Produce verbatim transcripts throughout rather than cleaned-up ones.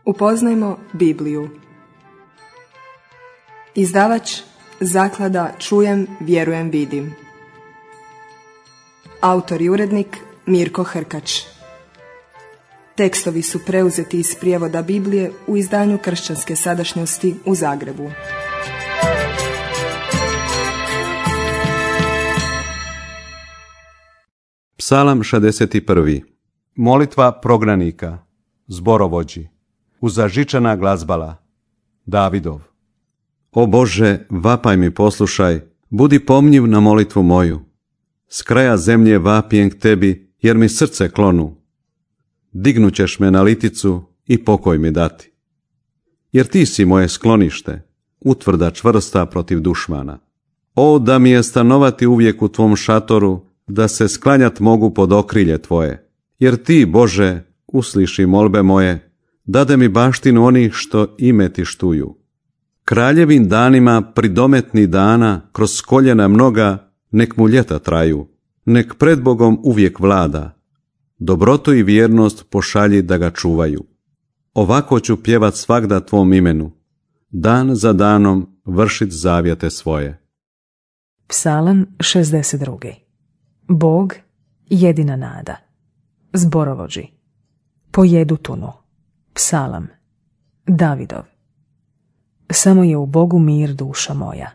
Upoznajmo Bibliju. Izdavač Zaklada Čujem, vjerujem, vidim. Autor i urednik Mirko Hrkač. Tekstovi su preuzeti iz prijevoda Biblije u izdanju Kršćanske sadašnjosti u Zagrebu. Psalam šezdeset prvi. Molitva prognanika, zborovođi, uzažičana glazbala, Davidov. O Bože, vapaj mi poslušaj, budi pomnjiv na molitvu moju. S kraja zemlje vapijem k tebi, jer mi srce klonu. Dignućeš me na liticu i pokoj mi dati. Jer ti si moje sklonište, utvrda čvrsta protiv dušmana. O, da mi je stanovati uvijek u tvom šatoru, da se sklanjat mogu pod okrilje tvoje. Jer ti, Bože, usliši molbe moje, dade mi baštinu onih što ime ti štuju. Kraljevim danima pridometni dana, kroz koljena mnoga, nek mu ljeta traju, nek pred Bogom uvijek vlada. Dobrotu i vjernost pošalji da ga čuvaju. Ovako ću pjevat svagda tvom imenu, dan za danom vršit zavjete svoje. Psalam šezdeset drugi. Bog, jedina nada. Zborovođi. Po Jedutunu. Psalam. Davidov. Samo je u Bogu mir, duša moja.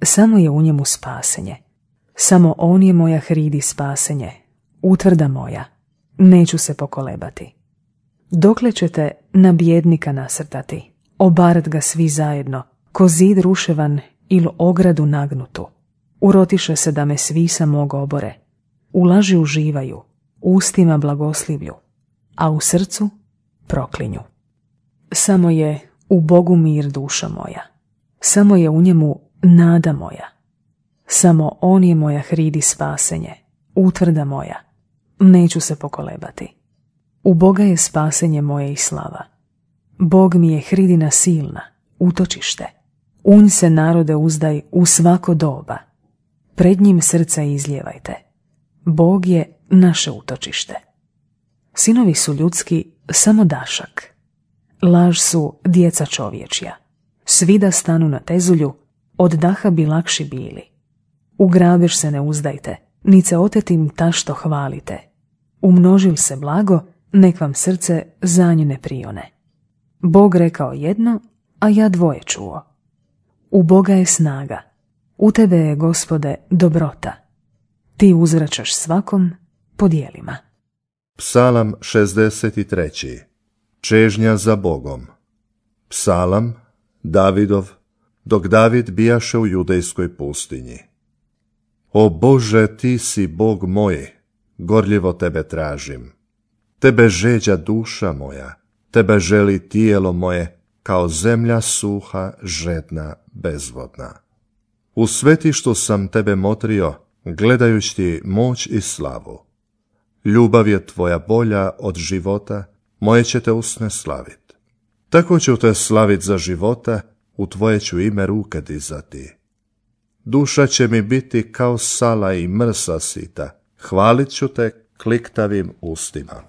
Samo je u njemu spasenje. Samo on je moja hridi spasenje. Utvrda moja. Neću se pokolebati. Dokle ćete na bjednika nasrtati, obarat ga svi zajedno, ko zid ruševan ili ogradu nagnutu. Urotiše se da me svi samog obore. U laži uživaju, ustima blagoslivlju, a u srcu proklinju. Samo je u Bogu mir, duša moja. Samo je u njemu nada moja. Samo on je moja hridi spasenje, utvrda moja. Neću se pokolebati. U Boga je spasenje moje i slava. Bog mi je hridina silna, utočište. U nj se, narode, uzdaj u svako doba. Pred njim srca izljevajte. Bog je naše utočište. Sinovi su ljudski samo dašak. Laž su djeca čovječja. Svi da stanu na tezulju, od daha bi lakši bili. U grabež se ne uzdajte, ni se otetim tašto hvalite. Umnožil se blago, nek vam srce za nju ne prione. Bog rekao jedno, a ja dvoje čuo. U Boga je snaga, u tebe je, Gospode, dobrota. Ti uzvraćaš svakom po djelima. Psalam šezdeset treći. Čežnja za Bogom. Psalam, Davidov, dok David bijaše u judejskoj pustinji. O Bože, ti si Bog moj, gorljivo tebe tražim. Tebe žeđa duša moja, tebe želi tijelo moje, kao zemlja suha, žedna, bezvodna. U svetištu sam tebe motrio, gledajući ti moć i slavu. Ljubav je tvoja bolja od života, moje će te usne slavit. Tako ću te slavit za života, u tvoje ću ime ruke dizati. Duša će mi biti kao sala i mrsa sita, hvalit ću te kliktavim ustima.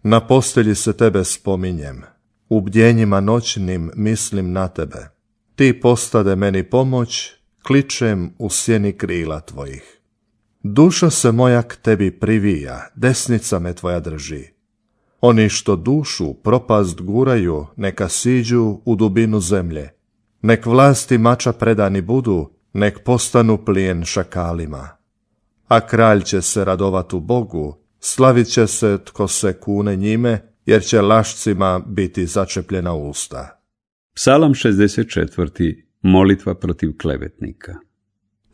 Na postelji se tebe spominjem, u bdjenjima noćnim mislim na tebe. Ti postade meni pomoć, kličem u sjeni krila tvojih. Duša se moja k tebi privija, desnica me tvoja drži. Oni što dušu propast guraju, neka siđu u dubinu zemlje. Nek vlasti mača predani budu, nek postanu plijen šakalima. A kralj će se radovat u Bogu, slavit će se tko se kune njime, jer će lašcima biti začepljena usta. Psalam šezdeset četvrti. Molitva protiv klevetnika.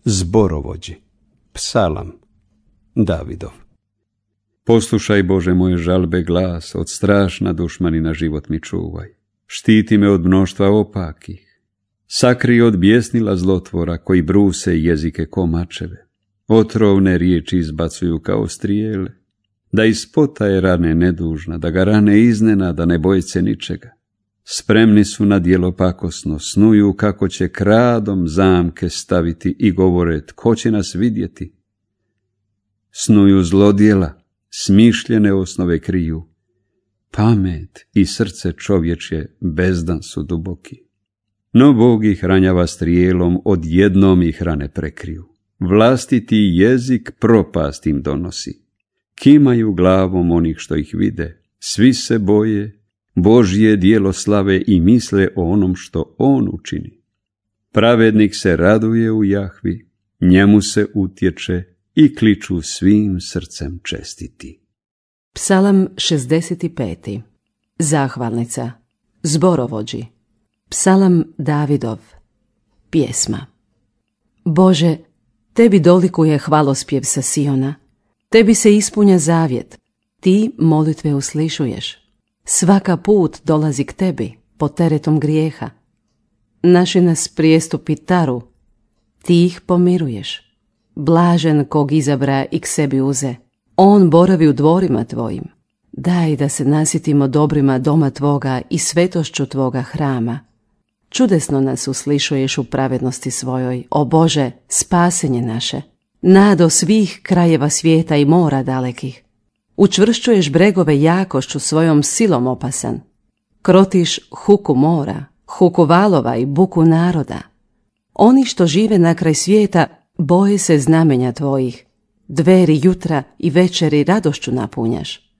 Zborovođi. Psalam. Davidov. Poslušaj, Bože, moje žalbe glas, od strašna dušmanina život mi čuvaj. Štiti me od mnoštva opakih. Sakri od bjesnila zlotvora koji bruse jezike ko mačeve. Otrovne riječi izbacuju kao strijele. Da ispotaje rane nedužna, da ga rane iznenada, ne boji se ničega. Spremni su na djelo pakosno, snuju kako će kradom zamke staviti i govore tko će nas vidjeti. Snuju zlodjela, smišljene osnove kriju, pamet i srce čovječje bezdan su duboki. No Bog ih ranjava strijelom, odjednom ih rane prekriju. Vlastiti jezik propast im donosi. Kimaju glavom onih što ih vide, svi se boje, Božje djelo slave i misle o onom što on učini. Pravednik se raduje u Jahvi, njemu se utječe i kliču svim srcem čestiti. Psalam šezdeset pet. Zahvalnica. Zborovođi. Psalam Davidov. Pjesma. Bože, tebi dolikuje hvalospjev sa Siona. Tebi se ispunja zavjet. Ti molitve uslišuješ. Svaka put dolazi k tebi pod teretom grijeha. Naši nas prijestupi taru. Ti ih pomiruješ. Blažen kog izabra i k sebi uze. On boravi u dvorima tvojim. Daj da se nasitimo dobrima doma tvoga i svetošću tvoga hrama. Čudesno nas uslišuješ u pravednosti svojoj, o Bože, spasenje naše. Nado svih krajeva svijeta i mora dalekih. Učvršćuješ bregove jakošću svojom silom opasan. Krotiš huku mora, huku valova i buku naroda. Oni što žive na kraj svijeta boje se znamenja tvojih. Dveri jutra i večeri radošću napunjaš.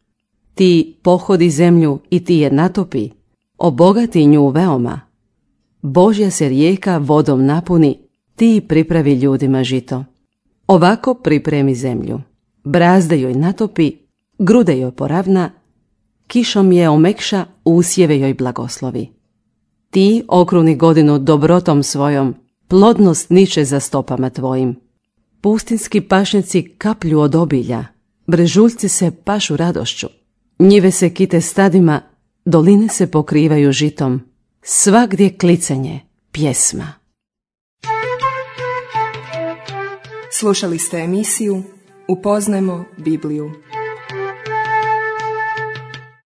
Ti pohodi zemlju i ti je natopi, obogati nju veoma. Božja se rijeka vodom napuni, ti pripravi ljudima žito. Ovako pripremi zemlju, brazde joj natopi, grude joj poravna, kišom je omekša, usjeve joj blagoslovi. Ti okruni godinu dobrotom svojom, plodnost niče za stopama tvojim. Pustinski pašnjaci kaplju od obilja, brežuljci se pašu radošću, njive se kite stadima, doline se pokrivaju žitom, svagdje klicanje, pjesma. Slušali ste emisiju Upoznajmo Bibliju.